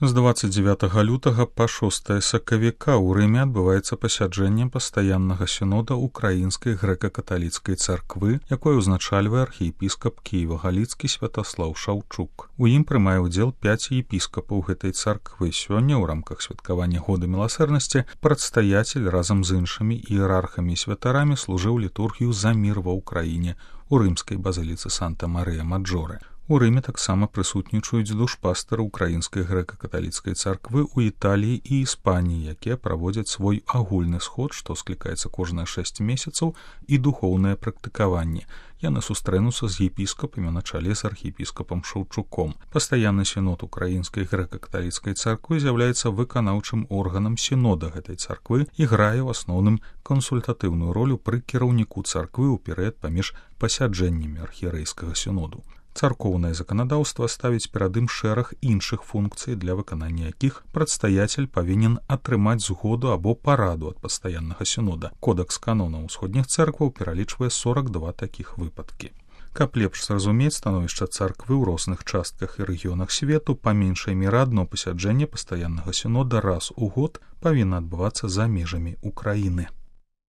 З 29 лютага па 6 сакавіка ў Рыме адбываецца пасяджэнне пастаяннага сінода Украінскай грэка-каталіцкай царквы, якое ўзначальвае архіепіскап Кіева-Галіцкі Святаслаў Шаўчук. У ім прымае ўдзел 5 епіскапаў гэтай царквы. Сёння ў рамках святкавання года міласэрнасці прадстаяцель разам з іншымі іерархамі і святарамі служыў літургію за мір ва ўкраіне у рымскай базыліцы Санта-Марыя-Маджоре. У Рыме таксама прысутнічаюць душпастары Украінскай грэка-каталіцкай царквы ў Італіі і Іспаніі, якія праводзяць свой агульны сход, што склікаецца кожныя 6 месяцаў, і духоўнае практыкаванне. Яны сустрэнуцца з епіскапамі на чале з архіепіскапам Шаўчуком. Пастаянны сінод Украінскай грэка-каталіцкай царквы з'яўляецца выканаўчым органам сінода гэтай царквы і грае ў асноўным кансультатыўную ролю пры кіраўніку царквы ў перыяд паміж пасяджэннямі архієрэйскага сіноду. Царкоўнае заканадаўства ставіць перад ім шэраг іншых функцый, для выканання якіх прадстаяцель павінен атрымаць згоду або параду ад пастаяннага сінода. Кодэкс канонаў усходніх цэркваў пералічвае 42 такіх выпадкі. Каб лепш зразумець становішча царквы ў розных частках і рэгіёнах свету, па меншай меры адно пасяджэнне пастаяннага сінода раз у год павінна адбывацца за межамі Украіны.